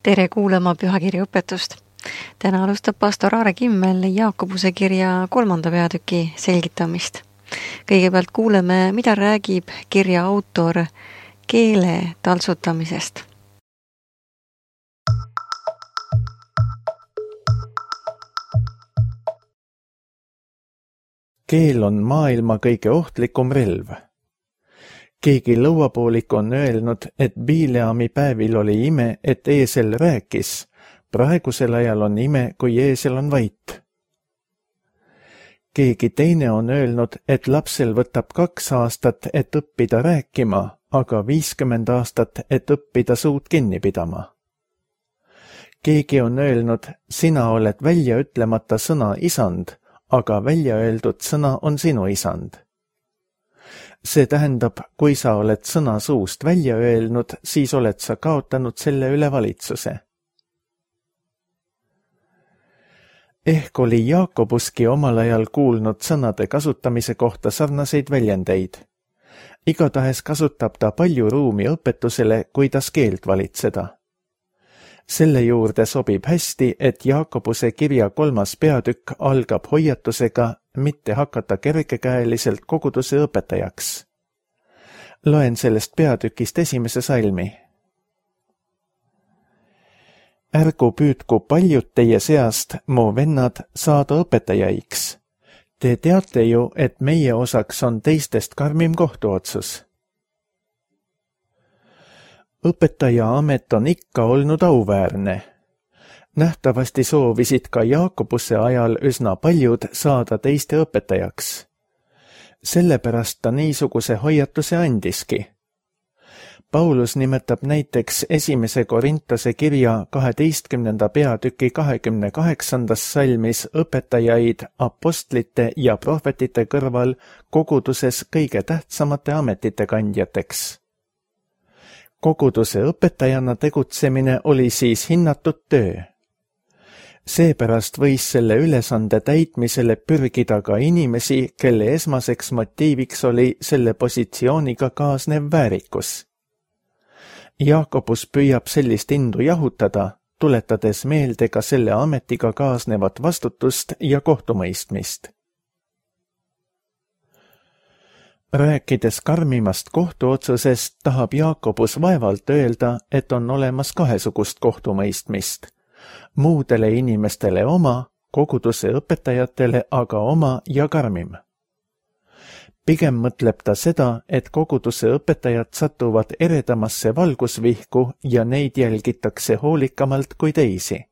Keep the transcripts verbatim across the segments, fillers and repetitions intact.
Tere kuulama pühakirja õpetust. Täna alustab pastor Aare Kimmel Jaakobuse kirja kolmanda peatüki selgitamist. Kõigepealt kuuleme, mida räägib kirja autor keele taltsutamisest. Keel on maailma kõige ohtlikum relv. Keegi lõuapoolik on öelnud, et Bileami päevil oli ime, et eesel rääkis. Praegusel ajal on ime, kui eesel on vait. Keegi teine on öelnud, et lapsel võtab kaks aastat, et õppida rääkima, aga viiskümmend aastat, et õppida suud kinni pidama. Keegi on öelnud, sina oled välja ütlemata sõna isand, aga välja öeldud sõna on sinu isand. See tähendab, kui sa oled sõna suust välja öelnud, siis oled sa kaotanud selle üle valitsuse. Ehk oli Jaakobuski omal ajal kuulnud sõnade kasutamise kohta sarnaseid väljendeid. Igatahes kasutab ta palju ruumi õpetusele, kuidas keelt valitseda. Selle juurde sobib hästi, et Jaakobuse kirja kolmas peatükk algab hoiatusega mitte hakata kergekäeliselt koguduse õpetajaks. Loen sellest peatükist esimese salmi. Ärgu püüdku paljud teie seast, mu vennad, saada õpetajaiks. Te teate ju, et meie osaks on teistest karmim kohtuotsus. Õpetaja amet on ikka olnud auväärne. Nähtavasti soovisid ka Jaakobuse ajal üsna paljud saada teiste õpetajaks. Sellepärast ta niisuguse hoiatuse andiski. Paulus nimetab näiteks esimese Korintose kirja kaheteistkümnenda peatüki kahekümne kaheksandas salmis õpetajaid apostlite ja prohvetite kõrval koguduses kõige tähtsamate ametite kandjateks. Koguduse õpetajana tegutsemine oli siis hinnatud töö. Seepärast võis selle ülesande täitmisele pürgida ka inimesi, kelle esmaseks motiiviks oli selle positsiooniga kaasnev väärikus. Jaakobus püüab sellist indu jahutada, tuletades meelde ka selle ametiga kaasnevat vastutust ja kohtumõistmist. Rääkides karmimast kohtuotsusest, tahab Jaakobus vaevalt öelda, et on olemas kahesugust kohtumõistmist. Muudele inimestele oma, koguduse õpetajatele aga oma ja karmim. Pigem mõtleb ta seda, et koguduse õpetajad satuvad eredamasse valgusvihku ja neid jälgitakse hoolikamalt kui teisi.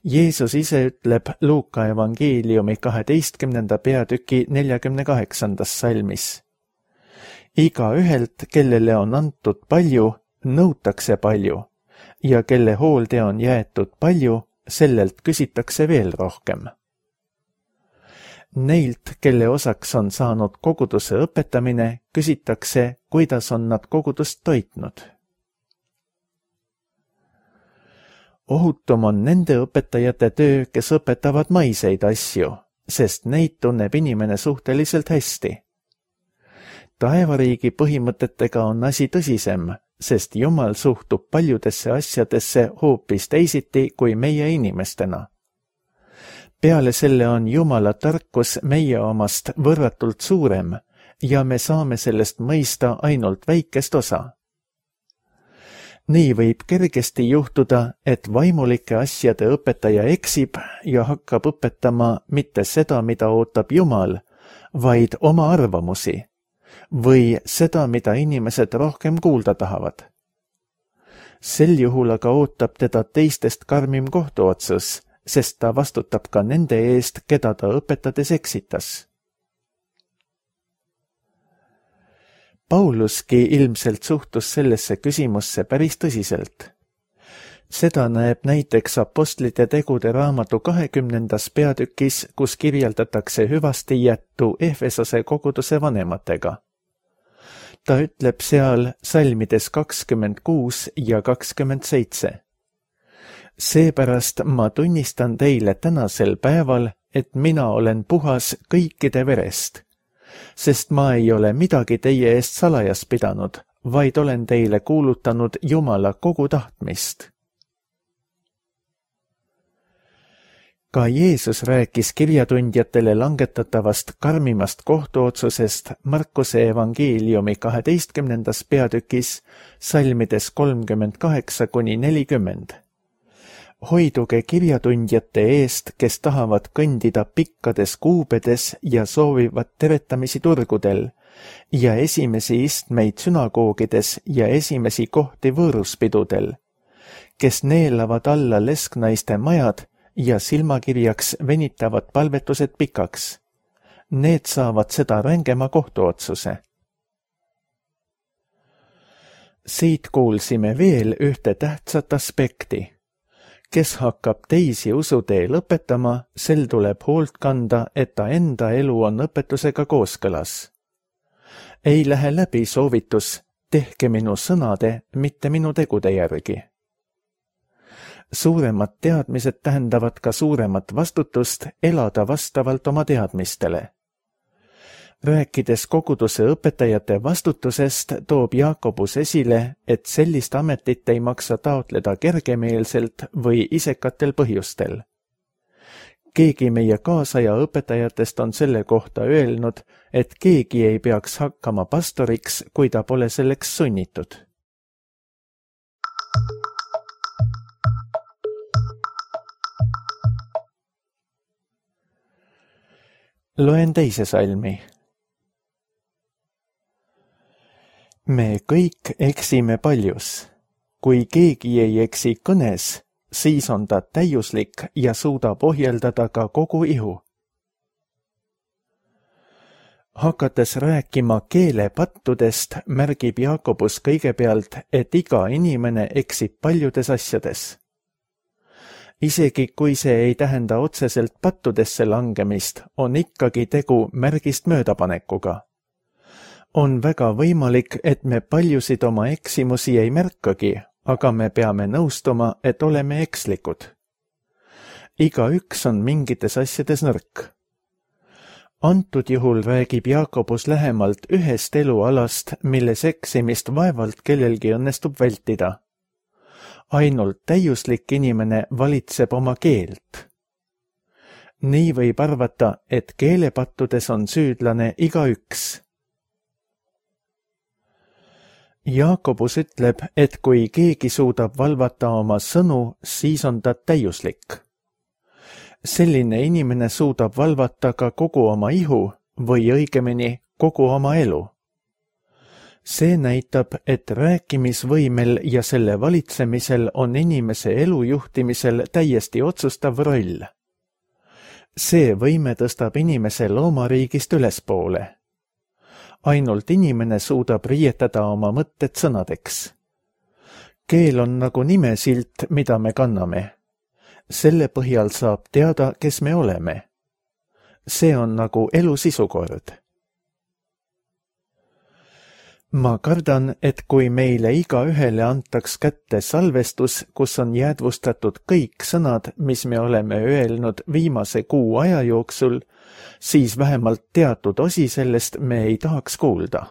Jeesus ise ütleb Luuka evangeeliumi kaheteistkümnenda peatüki neljakümne kaheksandas salmis. Iga ühelt, kellele on antud palju, nõutakse palju, ja kelle hoolde on jäetud palju, sellelt küsitakse veel rohkem. Neilt, kelle osaks on saanud koguduse õpetamine, küsitakse, kuidas on nad kogudust toitnud. Ohutum on nende õpetajate töö, kes õpetavad maiseid asju, sest neid tunneb inimene suhteliselt hästi. Taevariigi põhimõtetega on asi tõsisem, sest Jumal suhtub paljudesse asjadesse hoopis teisiti kui meie inimestena. Peale selle on Jumala tarkus meie omast võrratult suurem ja me saame sellest mõista ainult väikest osa. Nii võib kergesti juhtuda, et vaimulike asjade õpetaja eksib ja hakkab õpetama mitte seda, mida ootab Jumal, vaid oma arvamusi või seda, mida inimesed rohkem kuulda tahavad. Sel juhul aga ootab teda teistest karmim kohtuotsus, sest ta vastutab ka nende eest, keda ta õpetades eksitas. Pauluski ilmselt suhtus sellesse küsimusse päris tõsiselt. Seda näeb näiteks apostlite tegude raamatu kahekümnendas peatükis, kus kirjeldatakse hüvasti jättu Efesose koguduse vanematega. Ta ütleb seal salmides kakskümmend kuus ja kakskümmend seitse. Seepärast ma tunnistan teile tänasel päeval, et mina olen puhas kõikide verest, sest ma ei ole midagi teie eest salajas pidanud, vaid olen teile kuulutanud Jumala kogu tahtmist. Ka Jeesus rääkis kirjatundjatele langetatavast karmimast kohtuotsusest Markuse evangeeliumi kaheteistkümnendas peatükis salmides kolmkümmend kaheksa kuni nelikümmend. Hoiduge kirjatundjate eest, kes tahavad kõndida pikkades kuubedes ja soovivad teretamisi turgudel ja esimesi istmeid sünagoogides ja esimesi kohti võõruspidudel, kes neelavad alla lesknaiste majad ja silmakirjaks venitavad palvetused pikaks. Need saavad seda rängema kohtuotsuse. Siit kuulsime veel ühte tähtsat aspekti. Kes hakkab teisi usutee lõpetama, sel tuleb hoolt kanda, et ta enda elu on õpetusega kooskõlas. Ei lähe läbi soovitus, tehke minu sõnade, mitte minu tegude järgi. Suuremad teadmised tähendavad ka suuremat vastutust elada vastavalt oma teadmistele. Rääkides koguduse õpetajate vastutusest, toob Jaakobus esile, et sellist ametit ei maksa taotleda kergemeelselt või isekatel põhjustel. Keegi meie kaasaja õpetajatest on selle kohta öelnud, et keegi ei peaks hakkama pastoriks, kui ta pole selleks sunnitud. Loen teise salmi. Me kõik eksime paljus. Kui keegi ei eksi kõnes, siis on ta täiuslik ja suudab ohjeldada ka kogu ihu. Hakates rääkima keelepattudest, märgib Jaakobus kõigepealt, et iga inimene eksib paljudes asjades. Isegi kui see ei tähenda otseselt pattudesse langemist, on ikkagi tegu märgist möödapanekuga. On väga võimalik, et me paljusid oma eksimusi ei märkagi, aga me peame nõustuma, et oleme ekslikud. Igaüks on mingites asjades nõrk. Antud juhul räägib Jaakobus lähemalt ühest elualast, milles eksimist vaevalt kellelgi õnnestub vältida. Ainult täiuslik inimene valitseb oma keelt. Nii võib arvata, et keelepattudes on süüdlane igaüks. Jaakobus ütleb, et kui keegi suudab valvata oma sõnu, siis on ta täiuslik. Selline inimene suudab valvata ka kogu oma ihu või õigemini kogu oma elu. See näitab, et rääkimisvõimel ja selle valitsemisel on inimese elu juhtimisel täiesti otsustav roll. See võime tõstab inimese loomariigist ülespoole. Ainult inimene suudab riietada oma mõtted sõnadeks. Keel on nagu nimesilt, mida me kanname. Selle põhjal saab teada, kes me oleme. See on nagu elu sisukord. Ma kardan, et kui meile igaühele antaks kätte salvestus, kus on jäädvustatud kõik sõnad, mis me oleme öelnud viimase kuu aja jooksul, siis vähemalt teatud osi sellest me ei tahaks kuulda.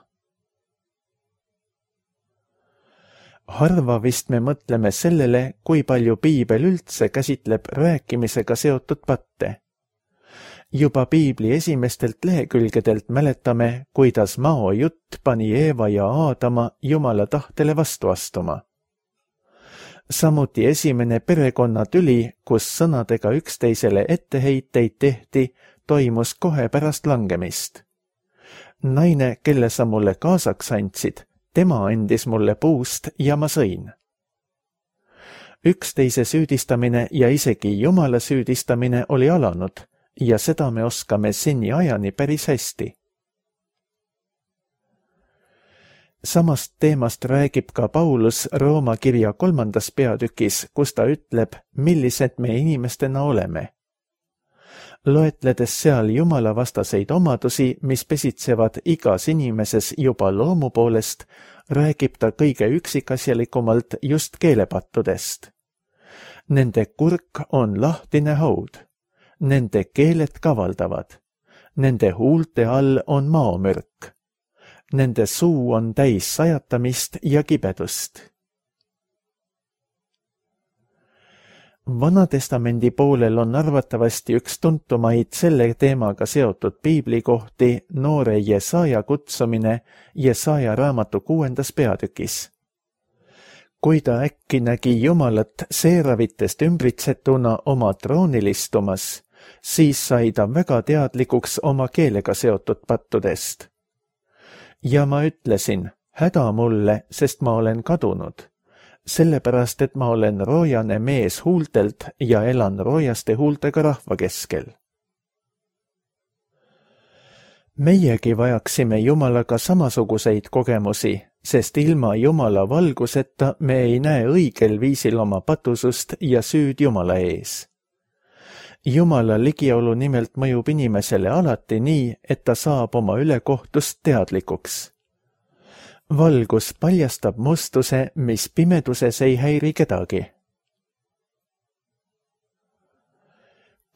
Harva vist me mõtleme sellele, kui palju piibel üldse käsitleb rääkimisega seotud patte. Juba piibli esimestelt lehekülgedelt mäletame, kuidas Mao jutt pani Eeva ja Aadama Jumala tahtele vastu astuma. Samuti esimene perekonnatüli, kus sõnadega üksteisele etteheiteid tehti, toimus kohe pärast langemist. Naine, kelle sa mulle kaasaks andsid, tema andis mulle puust ja ma sõin. Üksteise süüdistamine ja isegi Jumala süüdistamine oli alanud, ja seda me oskame seni ajani päris hästi. Samast teemast räägib ka Paulus Rooma kirja kolmandas peatükis, kus ta ütleb, millised me inimestena oleme. Loetledes seal Jumala vastaseid omadusi, mis pesitsevad igas inimeses juba loomu poolest, räägib ta kõige üksikasjalikumalt just keelepattudest. Nende kurk on lahtine haud. Nende keeled kavaldavad. Nende huulte all on maomürk. Nende suu on täis sajatamist ja kibedust. Vanatestamendi poolel on arvatavasti üks tuntumaid selle teemaga seotud piiblikohti noore Jesaja kutsumine Jesaja raamatu kuuendas peatükis. Kui ta äkki nägi Jumalat seeravitest ümbritsetuna oma troonil istumas, siis sai ta väga teadlikuks oma keelega seotud pattudest. Ja ma ütlesin, häda mulle, sest ma olen kadunud. Sellepärast, et ma olen roojane mees huultelt ja elan roojaste huultega rahva keskel. Meiegi vajaksime Jumalaga samasuguseid kogemusi, sest ilma Jumala valguseta me ei näe õigel viisil oma patusust ja süüd Jumala ees. Jumala ligiolu nimelt mõjub inimesele alati nii, et ta saab oma ülekohtust teadlikuks. Valgus paljastab mustuse, mis pimeduses ei häiri kedagi.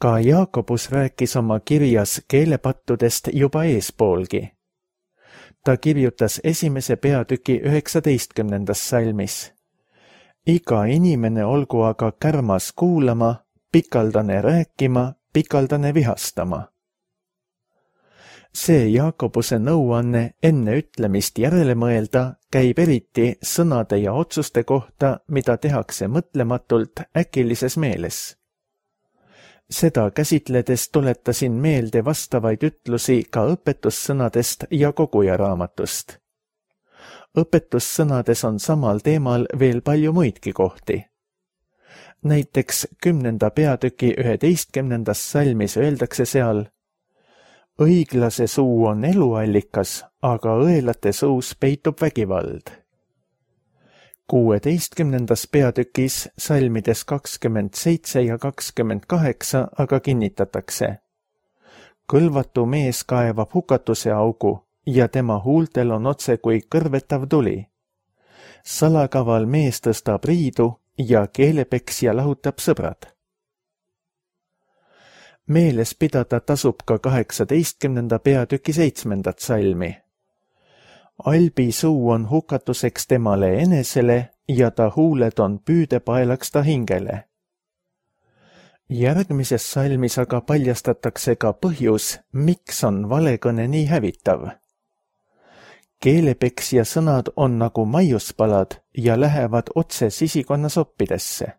Ka Jaakobus rääkis oma kirjas keelepattudest juba eespoolgi. Ta kirjutas esimese peatüki üheksateistkümnendas salmis. Iga inimene olgu aga kärmas kuulama, pikaldane rääkima, pikaldane vihastama. See Jaakobuse nõuanne enne ütlemist järele mõelda käib eriti sõnade ja otsuste kohta, mida tehakse mõtlematult äkilises meeles. Seda käsitledes tuletasin meelde vastavaid ütlusi ka õpetussõnadest ja koguja raamatust. Õpetussõnades on samal teemal veel palju muidki kohti. Näiteks kümnenda peatüki üheteistkümnendas salmis öeldakse seal: õiglase suu on eluallikas, aga õelate suus peitub vägivald. Kuueteistkümnendas peatükis salmides kakskümmend seitse ja kakskümmend kaheksa aga kinnitatakse: kõlvatu mees kaevab hukatuse augu ja tema huultel on otse kui kõrvetav tuli. Salakaval mees tõstab riidu ja keelepeksja lahutab sõbrad. Meeles pidada tasub ka kaheksateistkümnenda peatüki seitsmendat salmi. Albi suu on hukatuseks temale enesele ja ta huuled on püüdepaelaks ta hingele. Järgmises salmis aga paljastatakse ka põhjus, miks on valekõne nii hävitav. Keelepeksja sõnad on nagu maiuspalad ja lähevad otse sisikonna soppidesse.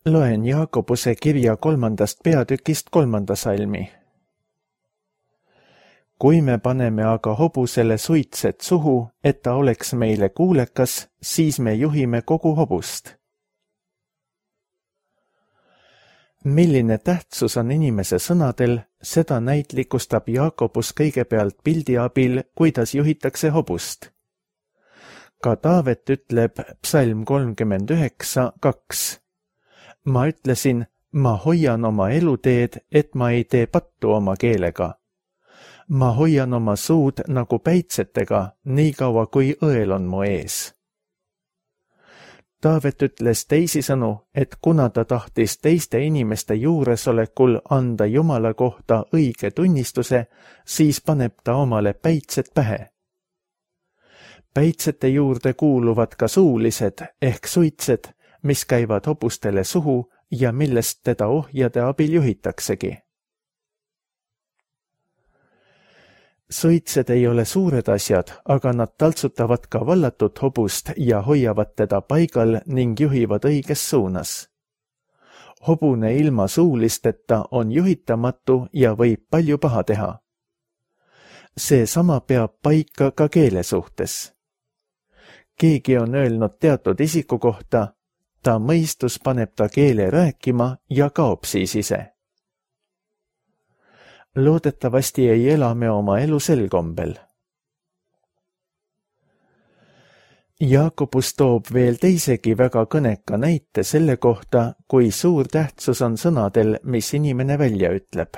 Loen Jaakobuse kirja kolmandast peatükist kolmanda salmi. Kui me paneme aga hobusele suitset suhu, et ta oleks meile kuulekas, siis me juhime kogu hobust. Milline tähtsus on inimese sõnadel, seda näitlikustab Jaakobus kõigepealt pildi abil, kuidas juhitakse hobust. Ka Taavet ütleb psalm kolmkümmend üheksa kaks. Ma ütlesin, ma hoian oma eluteed, et ma ei tee pattu oma keelega. Ma hoian oma suud nagu päitsetega, nii kaua kui õel on mu ees. Taavet ütles teisisõnu, et kuna ta tahtis teiste inimeste juuresolekul anda Jumala kohta õige tunnistuse, siis paneb ta omale päitsed pähe. Päitsete juurde kuuluvad ka suulised ehk suitsed, mis käivad hobustele suhu ja millest teda ohjade abil juhitaksegi. Suitsed ei ole suured asjad, aga nad taltsutavad ka vallatut hobust ja hoiavad teda paigal ning juhivad õiges suunas. Hobune ilma suulisteta on juhitamatu ja võib palju paha teha. See sama peab paika ka keele suhtes. Keegi on öelnud teatud isiku kohta: ta mõistus paneb ta keele rääkima ja kaob siis ise. Loodetavasti ei ela me oma elu sel kombel. Jaakobus toob veel teisegi väga kõneka näite selle kohta, kui suur tähtsus on sõnadel, mis inimene välja ütleb.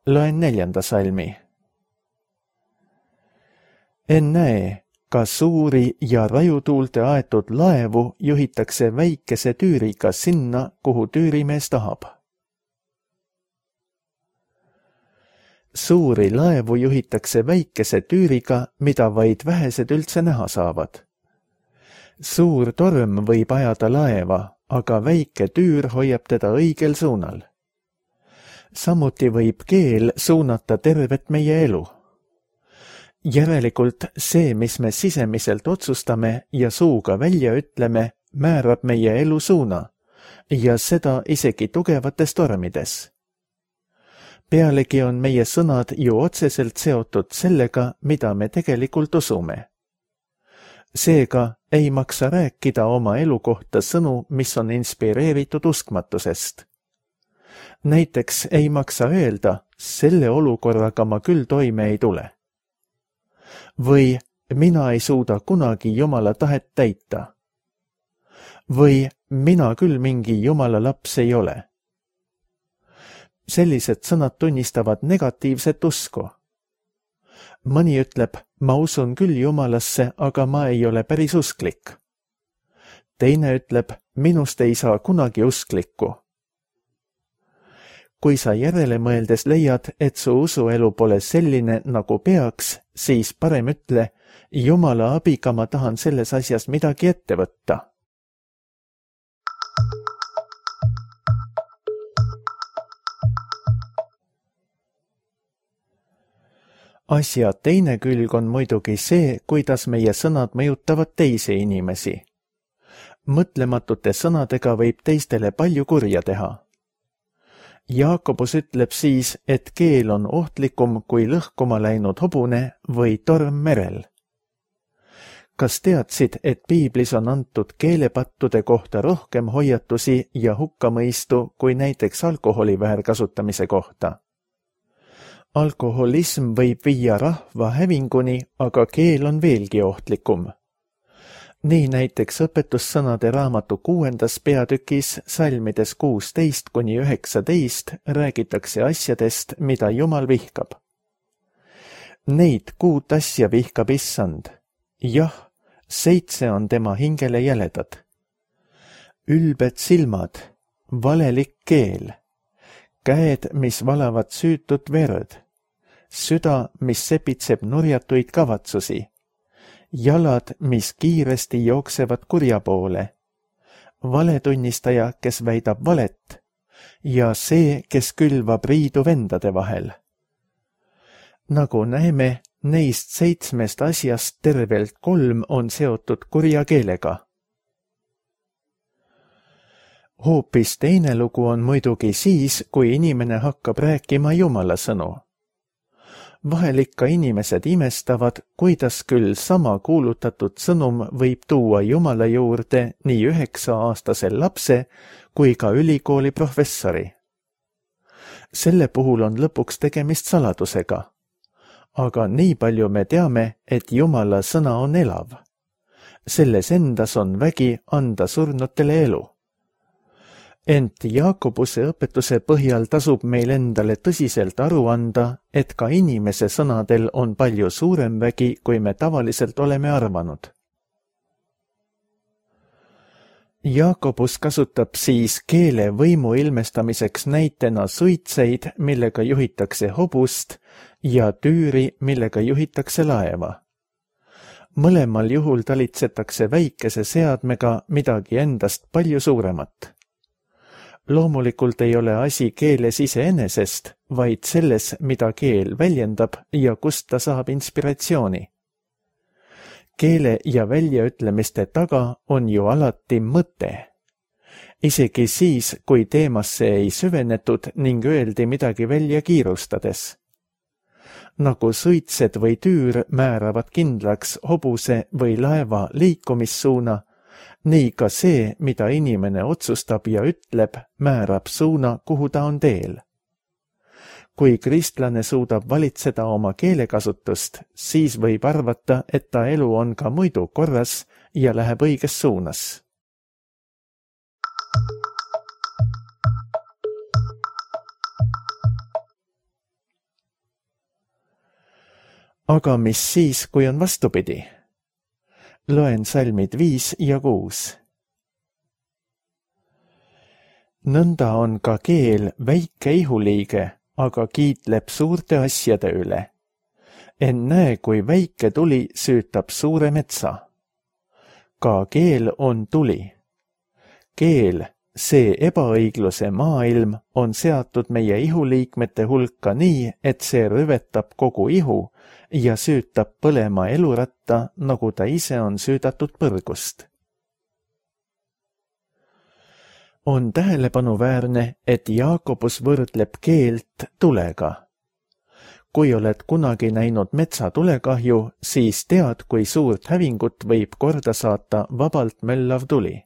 Loen neljanda salmi. Ennäe, ka suuri ja rajutuulte aetud laevu juhitakse väikese tüüriga sinna, kuhu tüürimees tahab. Suuri laevu juhitakse väikese tüüriga, mida vaid vähesed üldse näha saavad. Suur torm võib ajada laeva, aga väike tüür hoiab teda õigel suunal. Samuti võib keel suunata tervet meie elu. Järelikult see, mis me sisemiselt otsustame ja suuga välja ütleme, määrab meie elu suuna ja seda isegi tugevates tormides. Pealegi on meie sõnad ju otseselt seotud sellega, mida me tegelikult usume. Seega ei maksa rääkida oma elu kohta sõnu, mis on inspireeritud uskmatusest. Näiteks ei maksa öelda, selle olukorraga ma küll toime ei tule. Või mina ei suuda kunagi Jumala tahet täita. Või mina küll mingi Jumala laps ei ole. Sellised sõnad tunnistavad negatiivset usku. Mõni ütleb, ma usun küll Jumalasse, aga ma ei ole päris usklik. Teine ütleb, minust ei saa kunagi usklikku. Kui sa järele mõeldes leiad, et su usuelu pole selline, nagu peaks, siis parem ütle, Jumala abiga ma tahan selles asjas midagi ette võtta. Asja teine külg on muidugi see, kuidas meie sõnad mõjutavad teisi inimesi. Mõtlematute sõnadega võib teistele palju kurja teha. Jaakobus ütleb siis, et keel on ohtlikum kui lõhkuma läinud hobune või torm merel. Kas teadsid, et piiblis on antud keelepattude kohta rohkem hoiatusi ja hukkamõistu kui näiteks alkoholi väärkasutamise kohta? Alkoholism võib viia rahva hävinguni, aga keel on veelgi ohtlikum. Nii näiteks õpetussõnade raamatu kuuendas peatükis salmides kuusteist kuni üheksateist räägitakse asjadest, mida Jumal vihkab. Neid kuut asja vihkab issand. Jah, seitse on tema hingele jäledad. Ülbed silmad, valelik keel, käed, mis valavad süütut verd, süda, mis sepitseb nurjatuid kavatsusi, jalad, mis kiiresti jooksevad kurja poole, valetunnistaja, kes väidab valet, ja see, kes külvab riidu vendade vahel. Nagu näeme, neist seitsmest asjast tervelt kolm on seotud kurja keelega. Hoopis teine lugu on muidugi siis, kui inimene hakkab rääkima Jumala sõnu. Vahel ikka inimesed imestavad, kuidas küll sama kuulutatud sõnum võib tuua Jumala juurde nii üheksa-aastasel lapse kui ka ülikooli professori. Selle puhul on lõpuks tegemist saladusega. Aga nii palju me teame, et Jumala sõna on elav. Selles endas on vägi anda surnutele elu. Ent Jaakobuse õpetuse põhjal tasub meil endale tõsiselt aru anda, et ka inimese sõnadel on palju suurem vägi, kui me tavaliselt oleme arvanud. Jaakobus kasutab siis keele võimu ilmestamiseks näitena suitseid, millega juhitakse hobust, ja tüüri, millega juhitakse laeva. Mõlemal juhul talitsetakse väikese seadmega midagi endast palju suuremat. Loomulikult ei ole asi keeles iseenesest, vaid selles, mida keel väljendab ja kust ta saab inspiratsiooni. Keele ja väljaütlemiste taga on ju alati mõte. Isegi siis, kui teemasse ei süvenetud ning öeldi midagi välja kiirustades. Nagu suitsed või tüür määravad kindlaks hobuse või laeva liikumissuuna, nii ka see, mida inimene otsustab ja ütleb, määrab suuna, kuhu ta on teel. Kui kristlane suudab valitseda oma keelekasutust, siis võib arvata, et ta elu on ka muidu korras ja läheb õiges suunas. Aga mis siis, kui on vastupidi? Loen salmid viis ja kuus. Nõnda on ka keel väike ihuliige, aga kiitleb suurte asjade üle. Ennäe, kui väike tuli süütab suure metsa. Ka keel on tuli. Keel, see ebaõigluse maailm, on seatud meie ihuliikmete hulka nii, et see rüvetab kogu ihu ja süütab põlema eluratta, nagu ta ise on süüdatud põrgust. On tähelepanuväärne, et Jaakobus võrdleb keelt tulega. Kui oled kunagi näinud metsatulekahju, siis tead, kui suurt hävingut võib korda saata vabalt möllav tuli.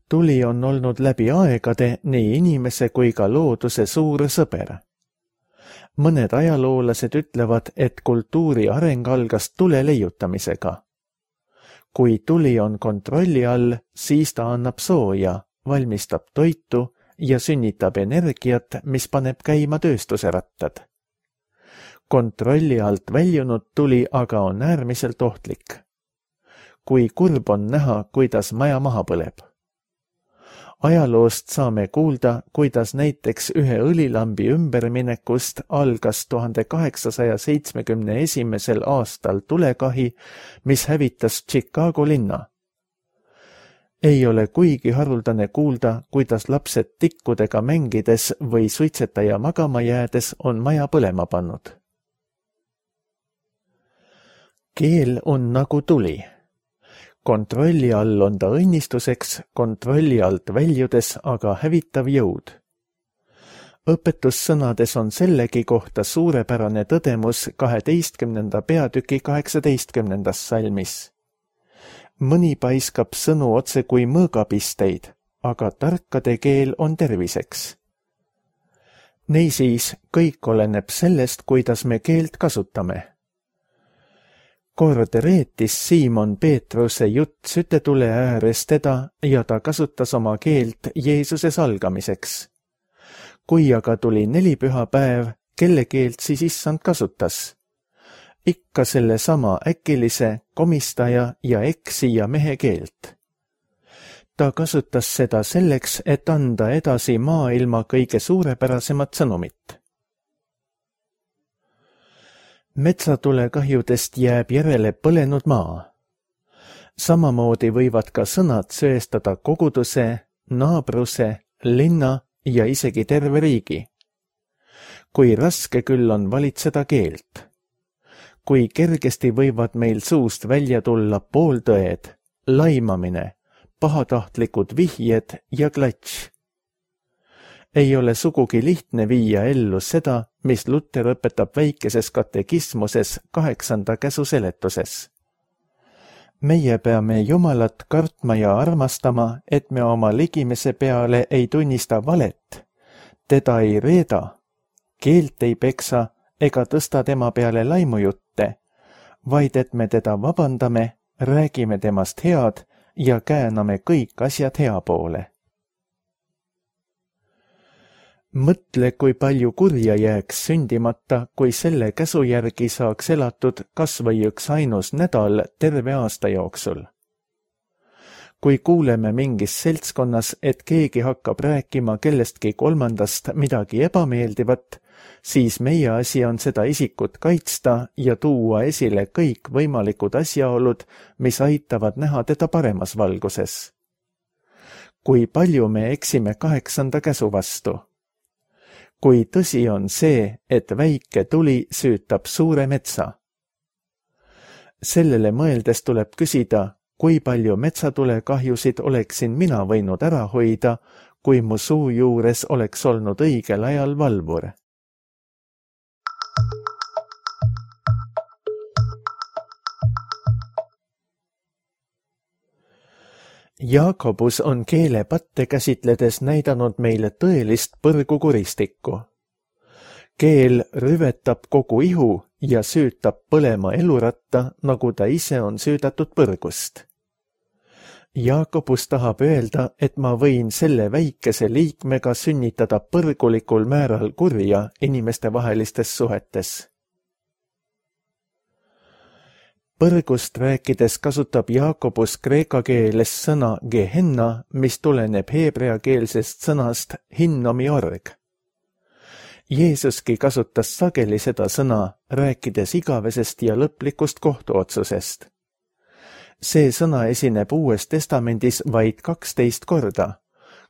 Tuli on olnud läbi aegade nii inimese kui ka looduse suur sõber. Mõned ajaloolased ütlevad, et kultuuri areng algas tule leiutamisega. Kui tuli on kontrolli all, siis ta annab sooja, valmistab toitu ja sünnitab energiat, mis paneb käima tööstuse rattad. Kontrolli alt väljunud tuli aga on äärmiselt ohtlik. Kui kurb on näha, kuidas maja maha põleb. Ajaloost saame kuulda, kuidas näiteks ühe õlilambi ümberminekust algas tuhande kaheksasaja seitsmekümne esimesel aastal tulekahi, mis hävitas Chicago linna. Ei ole kuigi haruldane kuulda, kuidas lapsed tikkudega mängides või suitsetaja magama jäädes on maja põlema pannud. Keel on nagu tuli. Kontrolli all on ta õnnistuseks, kontrolli alt väljudes aga hävitav jõud. Õpetussõnades on sellegi kohta suurepärane tõdemus kaheteistkümnenda peatüki kaheksateistkümnendas salmis. Mõni paiskab sõnu otse kui mõõgapisteid, aga tarkade keel on terviseks. Niisiis, kõik oleneb sellest, kuidas me keelt kasutame. Kord reetis Siimon Peetruse jutt sütetule ääres teda ja ta kasutas oma keelt Jeesuse salgamiseks. Kui aga tuli nelipühapäev, kelle keelt siis issand kasutas? Ikka selle sama äkilise, komistaja ja eksija mehe keelt. Ta kasutas seda selleks, et anda edasi maailma kõige suurepärasemat sõnumit. Metsatulekahjudest jääb järele põlenud maa. Samamoodi võivad ka sõnad söestada koguduse, naabruse, linna ja isegi terve riigi. Kui raske küll on valitseda keelt. Kui kergesti võivad meil suust välja tulla pooltõed, laimamine, pahatahtlikud vihjed ja klatš. Ei ole sugugi lihtne viia ellu seda, mis Luter õpetab väikeses katekismuses kaheksanda käsu seletuses. Meie peame Jumalat kartma ja armastama, et me oma ligimese peale ei tunnista valet, teda ei reeda, keelt ei peksa ega tõsta tema peale laimujutte, vaid et me teda vabandame, räägime temast head ja kääname kõik asjad hea poole. Mõtle, kui palju kurja jääks sündimata, kui selle käsu järgi saaks elatud kas või üks ainus nädal terve aasta jooksul. Kui kuuleme mingis seltskonnas, et keegi hakkab rääkima kellestki kolmandast midagi ebameeldivat, siis meie asi on seda isikut kaitsta ja tuua esile kõik võimalikud asjaolud, mis aitavad näha teda paremas valguses. Kui palju me eksime kaheksanda käsu vastu? Kui tõsi on see, et väike tuli süütab suure metsa. Sellele mõeldes tuleb küsida, kui palju metsatulekahjusid oleksin mina võinud ära hoida, kui mu suu juures oleks olnud õigel ajal valvur. Jaakobus on keelepatte käsitledes näidanud meile tõelist põrgukuristikku. Keel rüvetab kogu ihu ja süütab põlema eluratta, nagu ta ise on süüdatud põrgust. Jaakobus tahab öelda, et ma võin selle väikese liikmega sünnitada põrgulikul määral kurja inimestevahelistes suhetes. Põrgust rääkides kasutab Jaakobus kreeka keeles sõna gehenna, mis tuleneb heebreakeelsest sõnast hinnomi org. Jeesuski kasutas sageli seda sõna, rääkides igavesest ja lõplikust kohtuotsusest. See sõna esineb Uues Testamendis vaid kaksteist korda,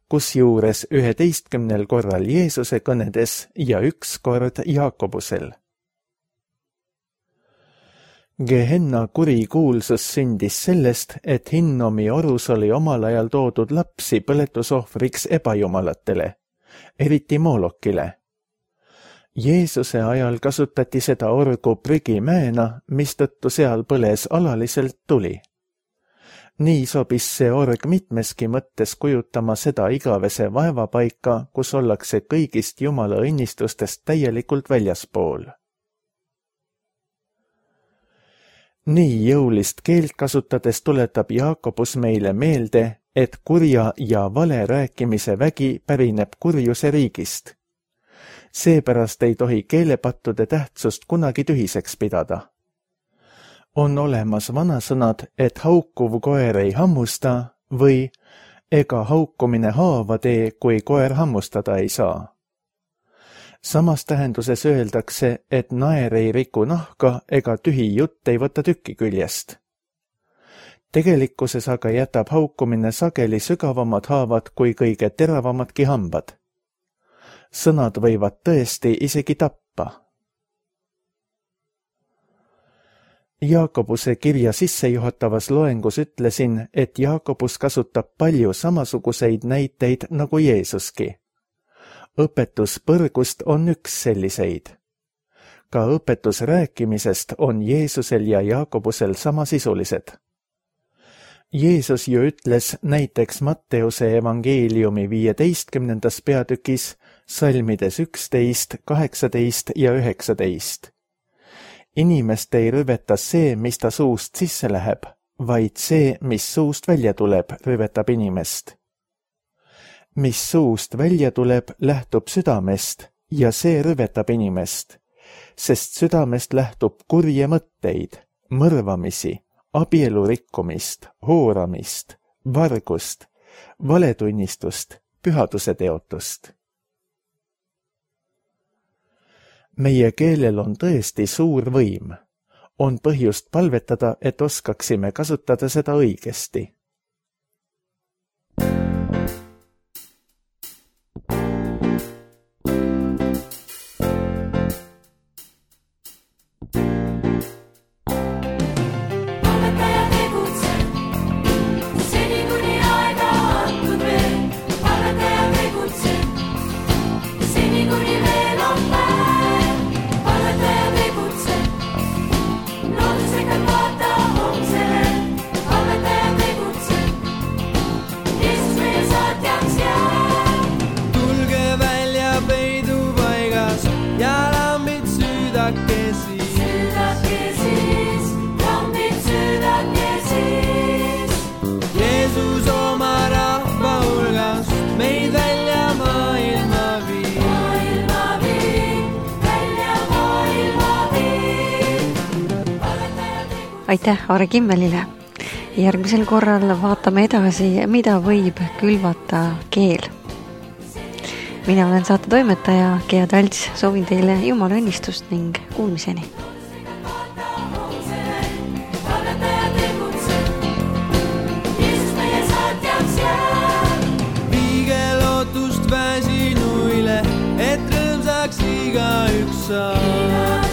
kusjuures üheteistkümnel korral Jeesuse kõnedes ja üks kord Jaakobusel. Gehenna kurikuulsus sündis sellest, et Hinnomi orus oli omal ajal toodud lapsi põletusohvriks ebajumalatele, eriti Moolokile. Jeesuse ajal kasutati seda orgu prügimäena, mistõttu seal põles alaliselt tuli. Nii sobis see org mitmeski mõttes kujutama seda igavese vaevapaika, kus ollakse kõigist Jumala õnnistustest täielikult väljaspool. Nii jõulist keelt kasutades tuletab Jaakobus meile meelde, et kurja ja vale rääkimise vägi pärineb kurjuse riigist. Seepärast ei tohi keelepattude tähtsust kunagi tühiseks pidada. On olemas vanasõnad, et haukuv koer ei hammusta või ega haukumine haava tee, kui koer hammustada ei saa. Samas tähenduses öeldakse, et naer ei riku nahka ega tühi jutt ei võta tükki küljest. Tegelikkuses aga jätab haukumine sageli sügavamad haavad kui kõige teravamadki hambad. Sõnad võivad tõesti isegi tappa. Jaakobuse kirja sissejuhatavas loengus ütlesin, et Jaakobus kasutab palju samasuguseid näiteid nagu Jeesuski. Õpetus põrgust on üks selliseid. Ka õpetus rääkimisest on Jeesusel ja Jaakobusel samasisulised. Jeesus ju ütles näiteks Matteuse evangeeliumi viieteistkümnendas peatükis salmides üksteist, kaheksateist ja üheksateist. Inimest ei rüveta see, mis ta suust sisse läheb, vaid see, mis suust välja tuleb, rüvetab inimest. Mis suust välja tuleb, lähtub südamest ja see rüvetab inimest, sest südamest lähtub kurje mõtteid, mõrvamisi, abielu rikkumist, hooramist, vargust, valetunnistust, pühaduse teotust. Meie keelel on tõesti suur võim. On põhjust palvetada, et oskaksime kasutada seda õigesti. Aitäh Aare Kimmelile. Järgmisel korral vaatame edasi, mida võib külvata keel. Mina olen saate toimetaja Gea Talts, soovin teile Jumala õnnistust ning kuulmiseni. Viige lootust väsinuile, et rõõmsaks igaüks saab.